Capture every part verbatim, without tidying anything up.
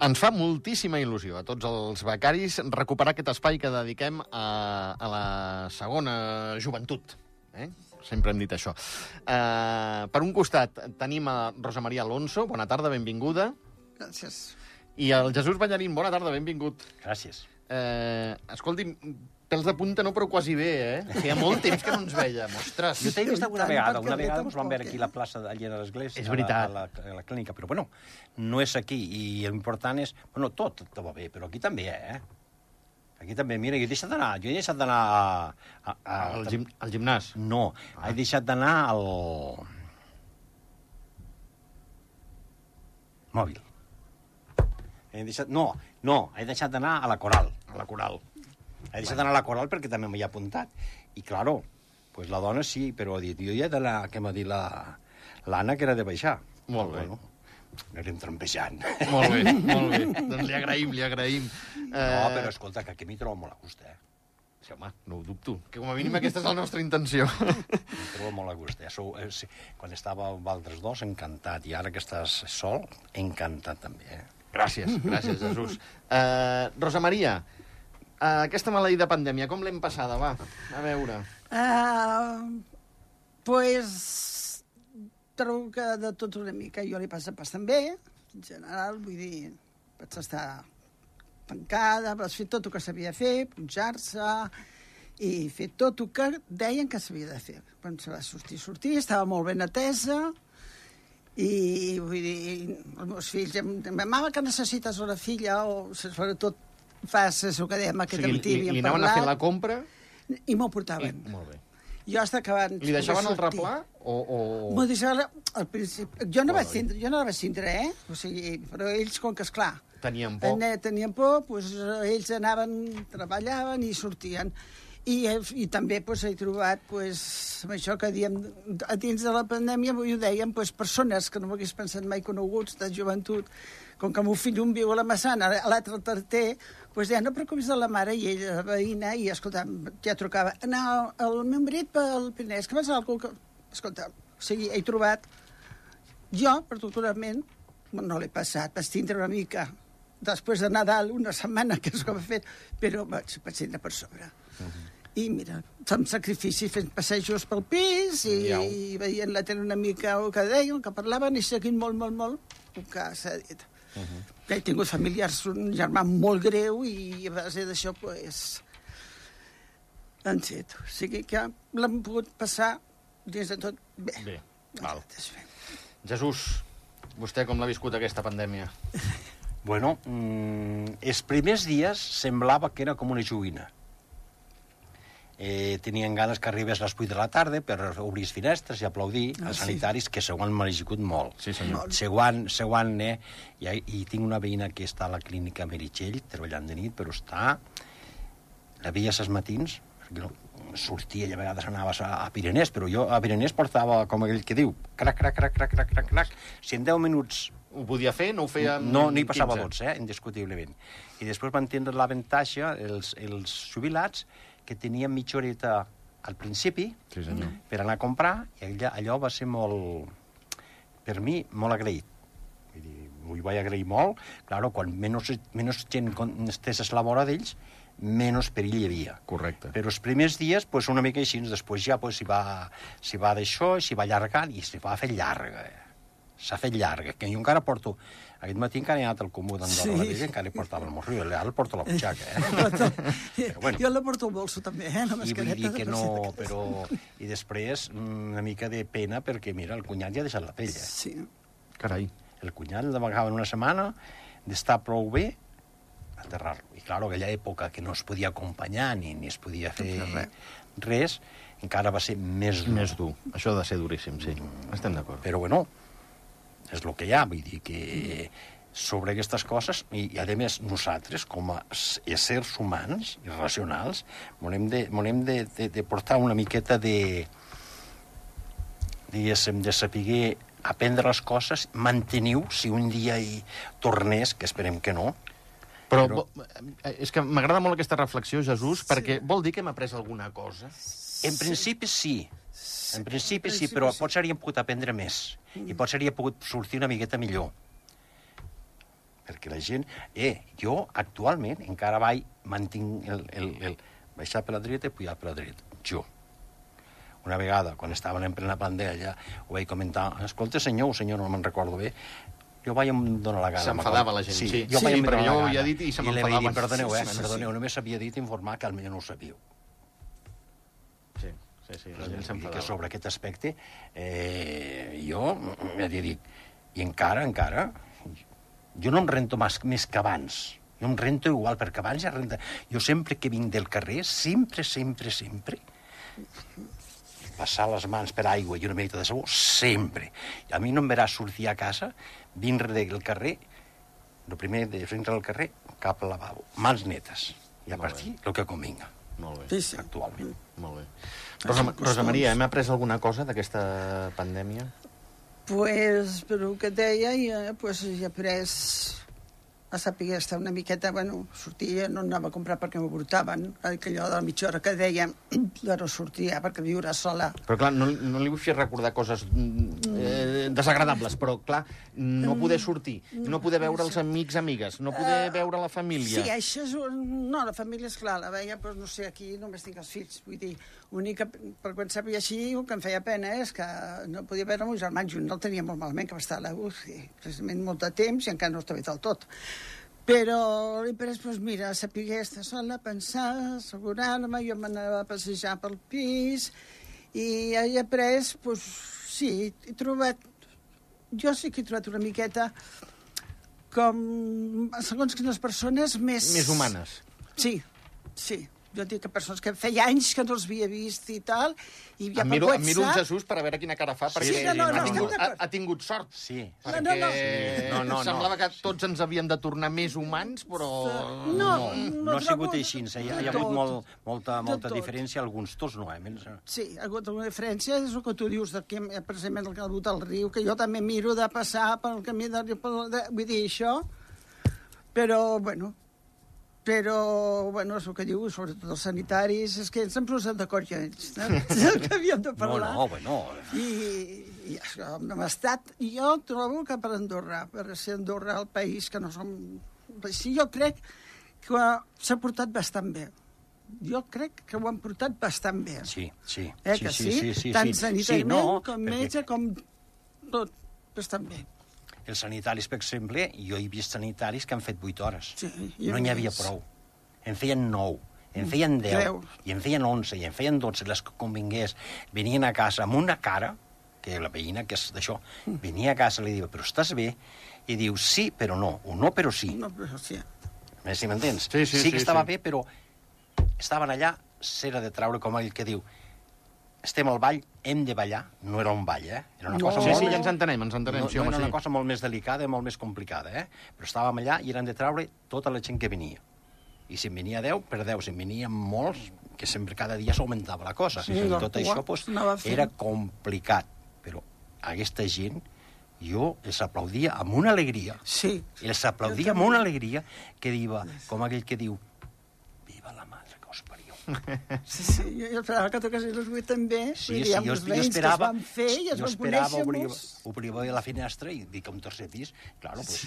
Ens fa moltíssima il·lusió a tots els becaris recuperar aquest espai que dediquem a, a la segona joventut. Eh? Sempre hem dit això. Uh, per un costat tenim a Rosa Maria Alonso. Bona tarda, benvinguda. Gràcies. I el Jesús Ballarín. Bona tarda, benvingut. Gràcies. Uh, escolti, pèls de punta no, però quasi bé, eh? Feia molt temps que no ens veiem, ostres. Jo t'he vist alguna vegada, una vegada ens vam veure aquí a la plaça allà a l'església, És veritat. A la, a, la, a la clínica, però bueno, no és aquí, i l'important és... Bueno, tot, tot va bé, però aquí també, eh? Aquí també, mira, jo he deixat d'anar, jo he deixat d'anar a... a, a Al, gim, al gimnàs? No, ah. he deixat d'anar al... Mòbil. He deixat... No, no, he deixat d'anar a la Coral. A la Coral. He deixat d'anar a la Coral perquè també m'hi ha apuntat. I, claro, pues la dona sí, però ha dit, jo ja he d'anar, què m'ha dit l'Anna, que era de baixar. Molt bé. Bueno, anem trampejant. Molt bé, molt bé. Doncs li agraïm, li agraïm. No, però escolta, que aquí m'hi trobo molt a gust, eh? Sí, home, no ho dubto. Que com a mínim aquesta és la nostra intenció. M'hi trobo molt a gust, eh? Sou, eh sí, quan estava amb altres dos, encantat. I ara que estàs sol, encantat també, eh? Gràcies, gràcies, Jesús. Uh, Rosa Maria, uh, aquesta maleïda pandèmia, com l'hem passada, va? A veure. Uh, pues, trobo que de tot una mica jo li passa bastant bé, en general, vull dir, vaig estar tancada, vaig fer tot el que s'havia de fer, punxar-se, i fer tot el que deien que s'havia de fer. Quan se va sortir, sortir, estava molt ben atesa, i vull dir, els meus fills, mama, que necessites una filla, o sobretot fas el que dèiem aquest o sigui, matí, li, li anaven a fer la compra? I m'ho portaven. I, molt bé. Jo hasta que van... Li deixaven el replà? O, o... M'ho deixaven al principi. Jo no, vaig tindre, jo no la vaig tindre, eh? O sigui, però ells, com que, esclar... Tenien por. Tenien por, doncs ells anaven, treballaven i sortien. I, i també pues, he trobat, pues, amb això que diem, a dins de la pandèmia, ho dèiem, pues, persones que no m'hagués pensat mai coneguts, de joventut, com que el meu fill un viu a la Massana, l'altre al Tarter, pues, deien, no preocupis de la mare, i ella, la veïna, i, escolta, ja trucava, no, el meu marit pel Pinès, que vas a algú que... Escolta, o sigui, he trobat... Jo, particularment, no l'he passat, vaig tindre una mica, després de Nadal, una setmana, que és com he fet, però vaig, vaig tindre per sobre. Uh-huh. I mira, amb sacrifici fent passejos pel pis i, i veient la tele una mica el que deien, que parlaven, i seguint molt, molt, molt el que s'ha dit. Uh-huh. He tingut familiars, un germà molt greu, i a base d'això, pues, han set. O sigui que l'han pogut passar dins de tot bé. Bé, val. Jesús, vostè com l'ha viscut aquesta pandèmia? Bueno, mmm, els primers dies semblava que era com una joguina. Eh, tenien ganes que arribés a les vuit de la tarda per obrir les finestres i aplaudir ah, els sanitaris, sí. Que s'ho han merescut molt. Sí, senyor. S'ho han, han, eh, i, i tinc una veïna que està a la clínica Meritxell, treballant de nit, però està... La veia els matins, perquè no, sortia i a vegades anaves a, a Pirenès, però jo a Pirenès portava, com aquell que diu, crac, crac, crac, crac, crac, crac, crac. Si en deu minuts... Ho podia fer, no ho feia... No, n'hi passava dotze, eh, indiscutiblement. I després van tindre l'avantatge, els, els jubilats, que tenien mitja horeta al principi, sí, senyor, per anar a comprar, i allò, allò va ser molt, per mi, molt agraït. Vull dir, m'ho vaig agrair molt. Claro, quan menys, menys gent estés a la vora d'ells, menys perill hi havia. Correcte. Però els primers dies, pues, una mica així, després ja pues, s'hi va, s'hi va d'això, s'hi va allargant, i s'hi va fer llarga. Eh? S'ha fet llarga, que jo encara porto... Aquest matí encara he anat al comú d'Andorra, sí. I encara hi portava el morro, ara el porto a la butxaca, eh? Però, bueno. Jo la porto al bolso, també, eh? La mascareta. I vull dir que no, però... I després, una mica de pena, perquè, mira, el cunyat ja ha deixat la pell, eh? Sí. Carai. El cunyat l'amagava en una setmana, d'estar prou bé, aterrar-lo. I, clar, aquella època que no es podia acompanyar ni, ni es podia fer res, res, encara va ser més dur. Més dur. Això ha de ser duríssim, sí. Mm. Estem d'acord. Però, bueno, és el que hi ha, vull dir que sobre aquestes coses, i, i a més nosaltres, com a éssers humans i racionals, volem de, volem de, de, de portar una miqueta de, diguéssim, de saber aprendre les coses, mantenir-ho, si un dia hi tornés, que esperem que no. Però, però... és que m'agrada molt aquesta reflexió, Jesús, sí. Perquè vol dir que hem après alguna cosa? En principi sí. En principi sí, però potser hauríem pogut aprendre més. I potser hauria pogut sortir una miqueta millor. perquè la gent... Eh, jo actualment encara vaig, mantinc el, el, el baixar per la dreta i pujar per la dreta. Jo. Una vegada, quan estaven en plena pandèmia, ho vaig comentar, escolta, senyor, senyor, no me'n recordo bé, jo vaig donar la gana. S'enfadava la gent, sí. Jo sí, vaig perquè jo ho havia dit i se I li m'enfadaven. vaig dir, perdoneu, eh, Sí, sí, sí. perdoneu, només s'havia dit informar que potser no ho sabíeu. Sí, sí, sí, la gent Vull dir que s'enfadava. sobre aquest aspecte, eh, jo, ja t'he dit, i encara, encara, jo no em rento més, més que abans. Jo em rento igual, perquè abans ja renta... Jo sempre que vinc del carrer, sempre, sempre, sempre, passar les mans per aigua i una mica de sabó, sempre. I a mi no em veràs sortir a casa, vindre del carrer, el primer de vindre del carrer, cap al lavabo, mans netes. I a Molt partir, el que convinga, Molt bé, Sí, sí. actualment. molt bé. Rosa, Rosa Maria, hem après alguna cosa d'aquesta pandèmia? Pues, per el que et deia, ja, pues, ja he après a saber estar una miqueta, bueno, sortia, no anava a comprar perquè m'ho portaven, allò de la mitja hora que deia, ja no sortia perquè viure sola. Però clar, no, no li vull fer recordar coses eh, desagradables, però clar, no poder sortir, no poder veure els amics, amigues, no poder veure la família. Sí, això és un... No, la família, esclar, la veia, però no sé, aquí només tinc els fills. Vull dir, l'únic que, per quan sabia així, el que em feia pena és que no podia veure el meu germà junt, no el tenia molt malament, que va estar a la U C I, precisament molt de temps, i encara no està bé del tot. Però l'he pres, doncs mira, saber estar sola, pensar, assegurar-me, jo m'anava a passejar pel pis, i he après, doncs, sí, he trobat... Jo sí que he trobat una miqueta com, segons quines persones, més... Més humanes. Sí, sí. Jo dic que persones que feia anys que no els havia vist i tal, i ja Em per miro, em miro el WhatsApp... Jesús per a veure quina cara fa, perquè Sí, no, no, ha, no, tingut, estem ha, d'acord. ha tingut sort. Sí. Perquè No, no, no. Sí. No, no, no. semblava que tots ens havíem de tornar més humans, però... No, No, no no ha sigut trobo- així. Hi ha, hi ha de hagut tot. molt, molta, De molta tot. diferència, alguns tots no, eh? Menys... Sí, ha hagut una diferència, és el que tu dius, de que, precisament el que ha hagut al riu, que jo també miro de passar pel camí del riu, pel, de, vull dir això, però, bueno, però, bueno, és el que diu, sobretot els sanitaris, és que ens hem posat d'acord ja ells, no? És el que havíem de No, parlar. no, bueno... I, i això, hem estat... Jo trobo que per Andorra, per ser Andorra el país que no som... Sí, jo crec que s'ha portat bastant bé. Jo crec que ho han portat bastant bé. Sí, sí. Eh, sí, que sí, sí? sí, sí, Tant sí. sanitàriament Sí, no, com perquè metge, com tot, bastant bé. Els sanitaris, per exemple, jo he vist sanitaris que han fet vuit hores. Sí, no n'hi havia més. prou. En feien nou, en feien deu, Creu. i en feien onze, i en feien dotze, les que convingués. Venien a casa amb una cara, que la veïna, que és d'això, venia a casa i li diu, però estàs bé? I diu, sí, però no, o no, però sí. No, però sí. A veure si m'entens? Sí, sí, sí que sí, estava sí. bé, però estaven allà, s'era de traure, com ell que diu, estem al ball, hem de ballar. No era un ball, eh? Era una No. cosa Sí, molt sí, més- ja ens entenem, ens entenem, no, sí, no home, era sí. una cosa molt més delicada i molt més complicada, eh? Però estàvem allà i eren de traure tota la gent que venia. I si en venia deu, per deu. Si en venien molts, que sempre cada dia s'augmentava la cosa. Sí, I la tot cua això pues, anava fent. era complicat. Però aquesta gent, jo els aplaudia amb una alegria. Sí. I els aplaudia amb una alegria que diu, com aquell que diu, viva la madre que us parió. Sí, sí, jo, jo esperava que toquessin els vuit també. Sí, vull sí, dir, amb jo, els jo veïns esperava, que es van fer i es jo van esperava conèixer obrir, molts. obrir la finestra i dic un tercer pis, claro, pues,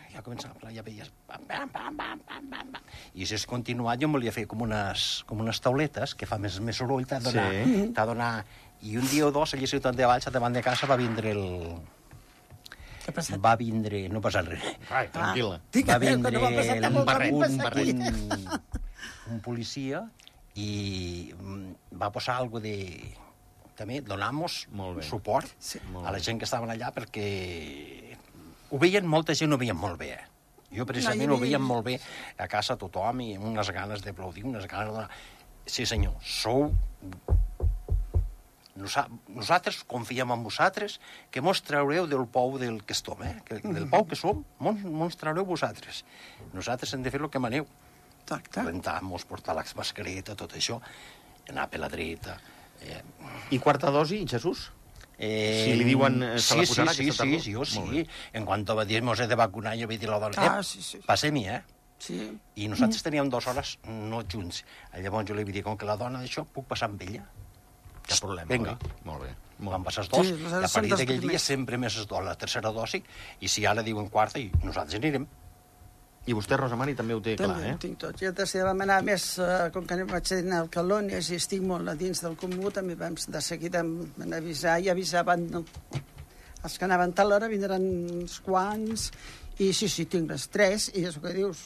ja començava a parlar, ja veies... Bam, bam, bam, bam, bam, bam, bam. I si has continuat, jo em volia fer com unes, com unes tauletes que fa més, més soroll, t'ha de donar... Sí. T'ha de donar... I un dia o dos, allà a Ciutat de Valls, davant de casa, va vindre el... Què ha passat? Va vindre... No passa res. Ai, tranquil·la. Dic, Va que vindre no va passar el- molt un barret, ràpid, un passa aquí. barret. un, un policia i mm, va posar algo de... També donamos Molt bé. suport Sí. Molt a la bé. gent que estaven allà perquè ho veien, molta gent ho veien molt bé. Eh? Jo precisament No, hi ho havia- veien molt bé a casa tothom i amb unes ganes d'aplaudir, unes ganes de donar... Sí senyor, sou... Nosa... Nosaltres confiem en vosaltres que mos traureu del pou del que estem, eh? Que, del pou que som, mos, mos traureu vosaltres. Nosaltres hem de fer el que maneu. Exacte. Rentar-nos, portar la mascareta, tot això, anar per la dreta... Eh, I quarta dosi, Jesús? Eh, Si li diuen, eh, se la sí, posarà sí, aquesta sí, tardor? sí, jo Molt sí. En quant va dir, mos he de vacunar, jo vaig dir a la dona, Ah, eh, sí, sí. passem-hi, eh? Sí. I nosaltres teníem dues hores no junts. Llavors jo li vaig dir, com que la dona d'això, puc passar amb ella? Cap problema. Vinga. Molt bé. Van passar els dos, Sí, i a són partir dels d'aquell dia primers. sempre més es dona la tercera dosi, i si ara diuen quarta, i nosaltres anirem. I vostè, Rosa Mari, també ho té clar, També eh? ho tinc tot. Jo també vam anar més, eh, com que vaig anar al Calònies i estic molt a dins del comú, també vam de seguida van avisar i avisaven no, els que anaven tal hora vindran uns quants, i sí, sí, tinc les tres, i és el que dius.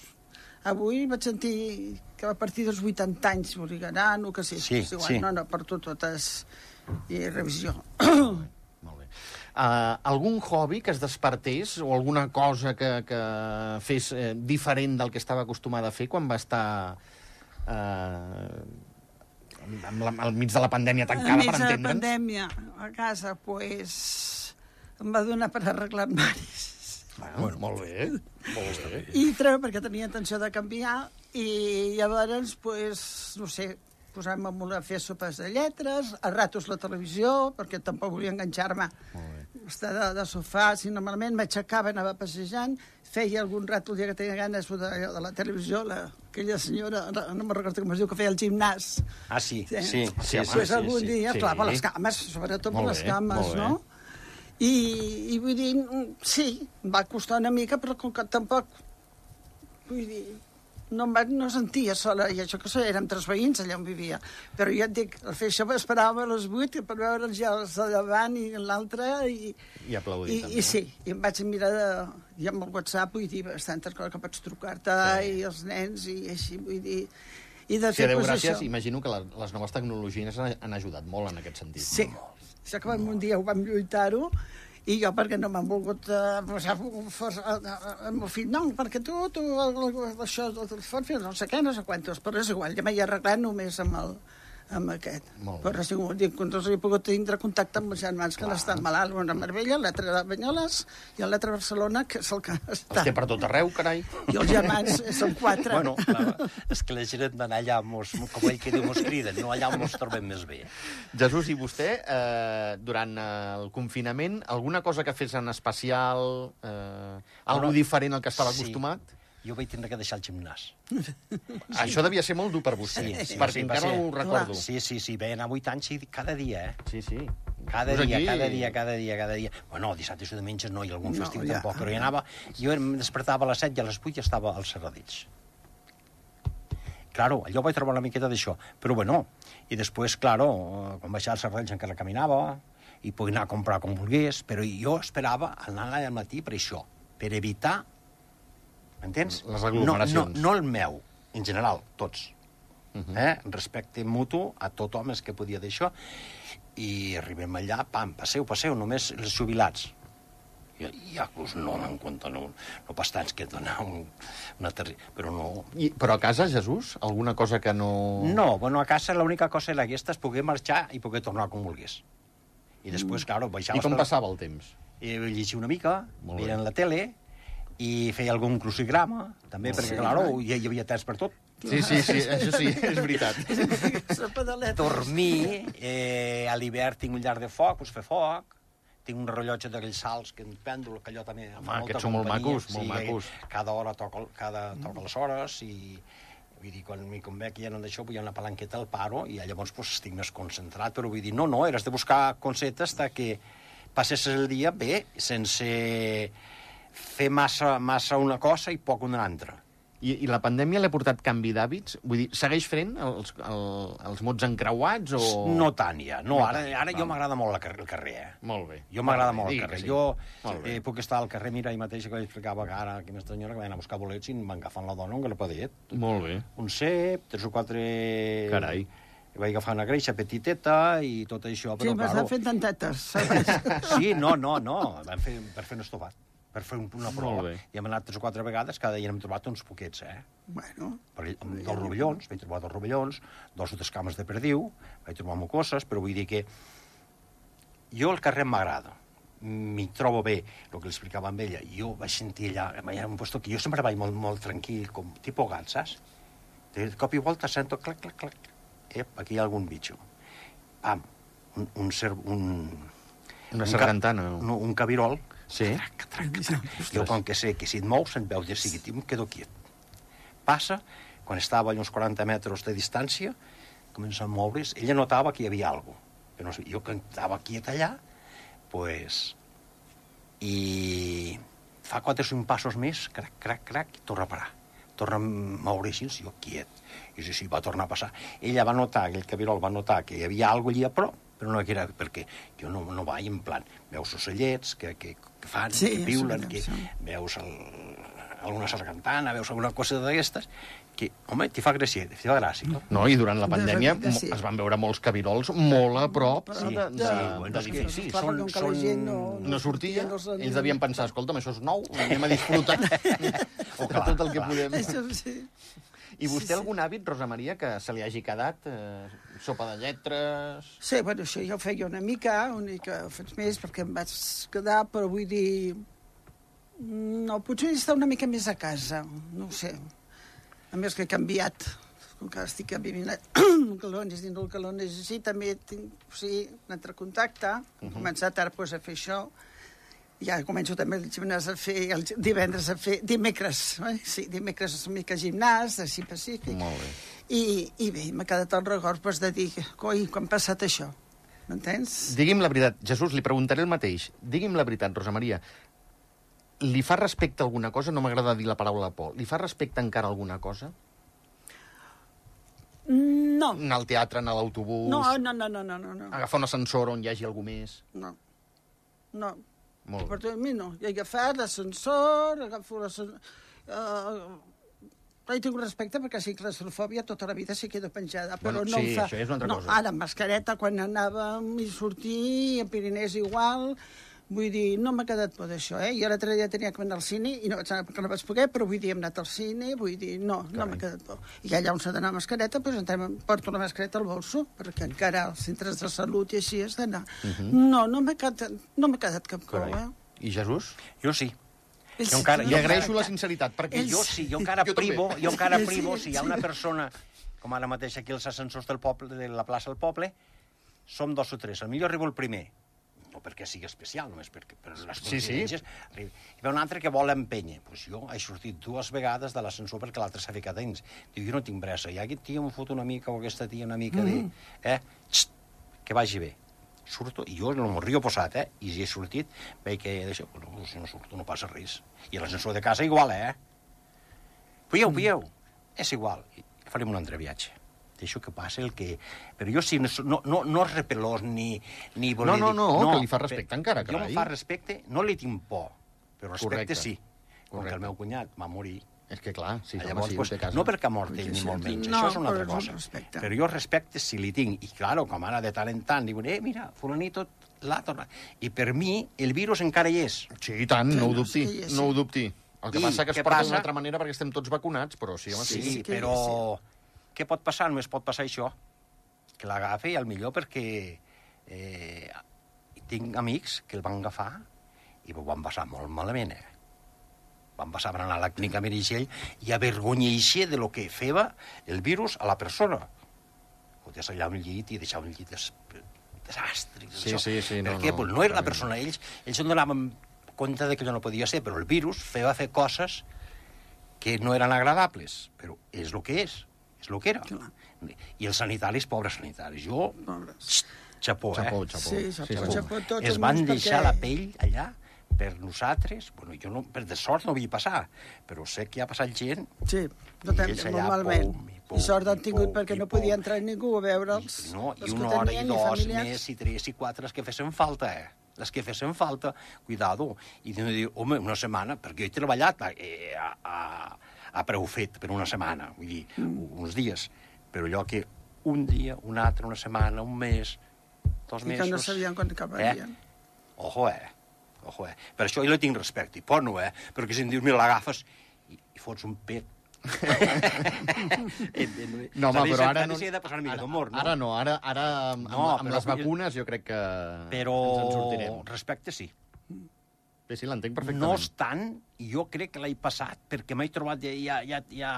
Avui vaig sentir que a partir dels vuitanta anys m'obligaran, o que sí, Sí, igual, sí. no, no, per tu totes, i revisió. Molt bé. Uh, algun hobby que es despertés o alguna cosa que, que fes eh, diferent del que estava acostumada a fer quan va estar eh, amb la, al mig de la pandèmia tancada, Enmig per de la entendre'ns? pandèmia, a casa, pues, em va donar per arreglar armaris. Bueno, molt bé. Molt bé. I treu perquè tenia intenció de canviar, i llavors, pues, no sé, posar-me a fer sopes de lletres, a ratos la televisió, perquè tampoc volia enganxar-me estar de, de sofà, si normalment m'aixecava, anava passejant, feia algun rato el dia que tenia ganes de, de la televisió, la, aquella senyora, no me'n recordo com es diu, que feia el gimnàs. Ah, sí, sí, Sí. sí, Sí, sí, Pues sí, algun sí. dia, sí. clar, per les cames, sobretot per Molt les bé, cames, molt bé. no? I, I vull dir, sí, em va costar una mica, però com que tampoc, vull dir, no, em va, no sentia sola, i això que érem tres veïns allà on vivia. Però jo et dic, al fer això esperàvem a les vuit per veure'ls ja els de davant i l'altre, i, I aplaudir, i, també. i sí, i em vaig mirar de, i amb el WhatsApp, vull dir, bastantes coses que pots trucar-te, Sí. i els nens, i així, vull dir, i de Sí, fer, Déu pues, gràcies, això. imagino que la, les noves tecnologies han, han ajudat molt en aquest sentit. Sí, això que vam, un dia ho vam lluitar-ho, i jo perquè no m'han volgut uh, posar força al meu fill, no, perquè tu, tu això, el fons, no sé què, no sé quantos, però és igual, ja m'he arreglat només amb el amb aquest. Molt bé. Però ha sigut, dic, no he pogut tindre contacte amb els germans que han estat malalts, una a Marbella, l'altre a Banyoles i l'altre a Barcelona, que és el que està. Els té per tot arreu, carai. I els germans són quatre. Bueno, clar, és que la gent d'anar allà, mos, com ell que diu, mos criden, no allà on mos trobem més bé. Jesús, i vostè, eh, durant eh, el confinament, alguna cosa que fes en especial, eh, algo Bueno, diferent al que estava sí. acostumat? Jo vaig tindre que deixar el gimnàs. Això devia ser molt dur per vostè, Sí, sí, perquè sí, va encara ser. ho recordo. Sí, sí, sí, veien a vuit anys i cada dia, eh? Sí, sí. Cada Us dia, aquí- cada dia, cada dia, cada dia. Bueno, dissabtes i diumenges no, i algun No, festiu ja. tampoc, però hi anava. Jo em despertava a les set i a les vuit ja estava als Serradills. Claro, allò vaig trobar una miqueta d'això. Però bueno, i després, claro, eh, quan baixava als Serradills encara caminava, i podia anar a comprar com volgués, però jo esperava anar allà al matí per això, per evitar, m'entens? Les aglomeracions. No, no, no el meu, en general, tots. Uh -huh. eh? Respecte mutu a tothom és que podia d'això, i arribem allà, pam, passeu, passeu, només els jubilats. I, i ja, pues, no en compte, no, no pas tants que donar un, una terri... Però no... I, però a casa, Jesús, alguna cosa que no... No, bueno, a casa l'única cosa era aquesta, és poder marxar i poder tornar com volgués. I després, claro, I baixaves... com per- passava el temps? I llegia una mica, Molt bé. veien la tele, i feia algun crucigrama, també, Molt perquè, bé. claro, hi, hi havia temps per tot. Sí, sí, sí, això sí, és veritat. Sopa de letres. Dormir, eh, a l'hivern tinc un llar de foc, doncs fer foc, tinc un rellotge d'aquells salts, que en pèndol, que allò també... Home, aquests són molt macos, molt macos. Cada hora toca, cada, toca les hores, i vull dir, quan m'hi convé que ja no d'això, vull una palanqueta al paro, i llavors pues, estic més concentrat, però vull dir, no, no, eres de buscar conceptes de que passessis el dia bé, sense fer massa, massa una cosa i poc una altra. I, I la pandèmia l'ha portat canvi d'hàbits? Vull dir, segueix fent els, el, els mots encreuats o...? No tant, ja. No, No ara, tant, ara jo val. m'agrada molt el carrer, el carrer, eh? Molt bé. Jo m'agrada bé, molt el digui carrer. que sí. Jo Molt bé. eh, puc estar al carrer, mira, ahir mateix que explicava que ara aquesta senyora que va anar a buscar bolets i em van agafant la dona un grapadet. Molt bé. Un cep, tres o quatre... Carai. Vaig agafar una greixa petiteta i tot això, Sí, però, m'estan claro... fent tantetes, saps? Sí, no, no, no, vam fer, per fer un estofat, per fer un, una prova. Molt bé. I hem anat tres o quatre vegades, cada dia hem trobat uns poquets, eh? Bueno, Per, amb dos rovellons, vaig trobar dos rovellons, dos o tres cames de perdiu, vaig trobar mucoses, però vull dir que jo el carrer m'agrada, m'hi trobo bé, el que li explicava amb ella. Jo vaig sentir allà, allà un lloc que jo sempre vaig molt, molt tranquil, com tipus gat, saps? De cop i volta sento clac, clac, clac. Ep, aquí hi ha algun bitxo. Pam, un, un, cer un, Una un sargantana. Ca, un, un cabirol. Sí? Trac, trac, trac. Jo, com que sé que si et mous, se't veu de seguit, i em quedo quiet. Passa, quan estava a uns quaranta metres de distància, comença a moure's, ella notava que hi havia alguna cosa. però no sé, jo que estava quiet allà, pues, i fa quatre o cinc passos més, crac, crac, crac, i torna a parar. Torna a moure així, jo quiet. I sí, sí, va tornar a passar. Ella va notar, aquell cabirol va notar que hi havia alguna cosa allà a prop, però no era perquè jo no, no vaig en plan, veus ocellets que, que, que fan, sí, que piulen, sí, que sí. veus el, alguna sargantana, veus alguna cosa d'aquestes, que, home, t'hi fa gràcia, t'hi fa gràcia. No, i durant la De pandèmia veritat, sí. es van veure molts cabirols molt a prop Sí, de- sí, de- bueno, és que d'edificis. sí, Clar, són- com que la són- gent no, No sortia, no els- ells devien pensar, escolta'm, això és nou, anem a disfrutar Oh, de clar, tot el que clar. podem. Això sí. I vostè Sí, sí. algun hàbit, Rosa Maria, que se li hagi quedat? Eh, sopa de lletres... Sí, bueno, això jo ho feia una mica, una mica ho faig més perquè em vaig quedar, però vull dir... No, potser estar una mica més a casa, no ho sé. A més que he canviat, com que estic vivint a Calones, dins del Calones, així, també tinc, o sigui, un altre contacte, he començat ara pues, a fer això, ja començo també el gimnàs a fer, el divendres a fer, dimecres, eh? Sí, dimecres una mica gimnàs, així pacífic. Molt bé. I, i bé, m'ha quedat el record pues, de dir, coi, quan ha passat això? M'entens? Digui'm la veritat, Jesús, li preguntaré el mateix. Digui'm la veritat, Rosa Maria. Li fa respecte a alguna cosa? No m'agrada dir la paraula por. Li fa respecte encara a alguna cosa? No. Anar al teatre, anar a l'autobús... No, no, no, no, no, no. no. Agafar un ascensor on hi hagi algú més... No. No. Molt Per bé. a mi no. He agafat l'ascensor, agafo l'ascensor... Uh, he tingut respecte perquè sí, claustrofòbia tota la vida s'hi queda penjada, però Bueno, no sí, em fa... això és una altra no, cosa. Ara, amb mascareta, quan anàvem i sortir, a Pirinès igual... Vull dir, no m'ha quedat por d'això, eh? Jo l'altre dia tenia que anar al cine i no vaig anar perquè no vaig poder, però vull dir, hem anat al cine, vull dir, no, no Carai. m'ha quedat por. I allà on s'ha d'anar amb mascareta, doncs entrem, porto la mascareta al bolso, perquè encara als centres de salut i així has d'anar. No, no m'ha quedat, no m'ha quedat cap por, Carai. eh? I Jesús? Jo sí. Ells- Jo encara- Li jo agraeixo la sinceritat, perquè Ells- Jo sí, jo encara Jo també. privo, jo encara Sí, privo, sí, si hi ha sí. una persona, com ara mateix aquí els ascensors del poble, de la plaça del poble, som dos o tres, el millor arribo el primer, no perquè sigui especial, només perquè per les Sí, sí. coincidències, arriba. Hi va un altre que vol empènyer, pues jo he sortit dues vegades de l'ascensor perquè l'altre s'ha ficat dins. Diu, jo no tinc pressa, i aquest tio em fot una mica, o aquesta tia una mica de... Eh? Xt, que vagi bé. Surto, i jo no m'ho rio posat, eh? I si he sortit, veig que d'això, no, si no surto no passa res. I l'ascensor de casa igual, eh? Veieu, veieu? És igual, I farem un altre viatge. Deixo que passi el que... Però jo sí, no, no, no és repelós ni, ni voler No, no, dir- no, que li fa respecte per- encara, Jo carai. em fa respecte, no li tinc por, però respecte Correcte. sí. Com Correcte. que el meu cunyat va morir. És que clar, sí, home, Llavors, sí, pues, ho té a casa. no perquè ha mort ell, Sí, ni sí. molt menys, No, això és una però altra és un cosa. respecte. Però jo respecte si li tinc. I, claro, com ara de tant en tant, diuen, eh, mira, fulanito l'ha tornat. I per mi, el virus encara hi és. Sí, i tant, no ho Sí, dubti, sí, sí. no ho dubti. El que I passa que es què porta passa? d'una altra manera perquè estem tots vacunats, però sí, home, sí. Sí, sí que- però què pot passar? Només pot passar això. Que l'agafi, al millor, perquè eh, tinc amics que el van agafar i ho van passar molt malament, eh? Van passar per anar a la clínica Meritxell i avergonyir-se de lo que feia el virus a la persona. Foties allà un llit i deixar un llit des... desastre. Sí, això. sí, sí, no, Per què? no, Pues no era la clarament. persona. Ells, ells en donaven compte de que allò no podia ser, però el virus feia fer coses que no eren agradables, però és el que és, és el que era. Clar. I els sanitaris, pobres sanitaris, jo, Pobres. xapó, eh? Xapó, xapó. Sí, xapó, sí. xapó, tots Es els van meus, deixar perquè- la pell allà per nosaltres. Bueno, jo no, per de sort no vull passar, però sé que ha passat gent. Sí, no I tant, ells molt allà, malament. pum, i pum, I sort han i tingut pum, perquè i no pum. podia entrar ningú a veure'ls. I, no, Els i que una hora i tenien, dos familiars. més, i tres i quatre, les que fessin falta, eh? Les que fessin falta, cuidado. I de dir, home, una setmana, perquè jo he treballat eh, a, a, a preu fet per una setmana, vull dir, mm. uns dies, però allò que un dia, un altre, una setmana, un mes, dos I mesos... que no sabien quan acabarien. Eh? Ojo, eh? Ojo, eh? Per això jo li tinc respecte, i por no, eh? Perquè si em dius, mira, l'agafes i, i fots un pet. No, home, però ara no... S'hi ha de passar una mica Ara, d'humor, no? ara no, ara, ara amb, No, amb però- les vacunes jo crec que Però ens en sortirem. respecte sí. Sí, sí, l'entenc perfectament. No obstant, jo crec que l'he passat, perquè m'he trobat ja, ja, ja, ja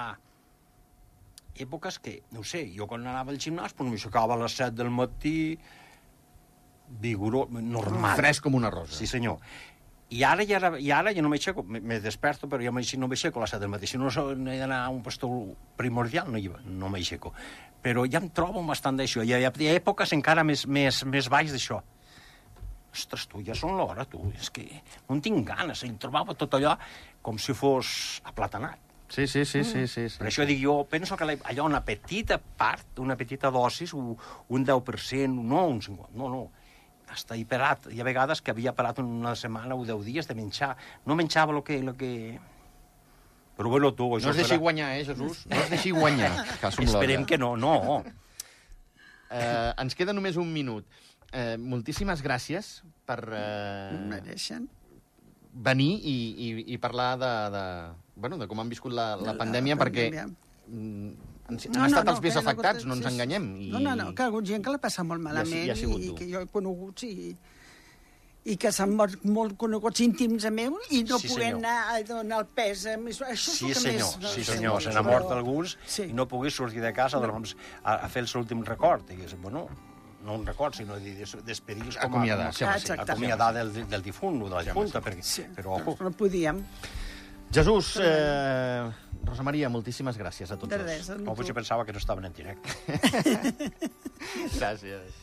èpoques que, no ho sé, jo quan anava al gimnàs, doncs m'aixecava a les set del matí, vigorós, normal. Fresc com una rosa. Sí, senyor. I ara, ja, i ara ja no m'aixeco, me, me desperto, però ja no m'aixeco a les set del matí. Si no he d'anar a un pastor primordial, no, no m'aixeco. Però ja em trobo bastant d'això. Hi ha, hi ha èpoques encara més, més, més baix d'això. Ostres, tu, ja són l'hora, tu. És que no en tinc ganes. Em trobava tot allò com si fos aplatanat. Sí, sí, sí, sí, sí, sí. Per això dic jo, penso que allò, una petita part, una petita dosis, un, un deu per cent, no un cinquanta, no, no. Hasta he parat. Hi ha vegades que havia parat una setmana o deu dies de menjar. No menjava el que... Lo que... Però bueno, tu... No es deixi guanyar, eh, Jesús? No es deixi guanyar. Esperem que no, no. Eh, ens queda només un minut. Eh, moltíssimes gràcies per... Eh, mereixen. Venir i, i, i parlar de, de, bueno, de com han viscut la, la, la pandèmia, la perquè... Pandèmia. Mm, Han, han no, estat no, els més no, afectats, no ens sí, enganyem. I... No, no, no, que hi ha hagut gent que l'ha passat molt malament i, i que jo he conegut i, i que s'han mort molt coneguts íntims a meu i no sí, poder anar a donar el pes. Això sí, és el que senyor, més... Sí, senyor, se n'ha mort alguns sí. I no pogués sortir de casa no. doncs, a, a fer el seu últim record. Digués, bueno, no un record, sinó de despedir-los com acomiadar, a, a, acomiadar del, del difunt o de la junta, perquè, sí, però ojo. No podíem. Jesús, eh, Rosa Maria, moltíssimes gràcies a tots dos. Oh, potser pensava que no estaven en directe. Gràcies.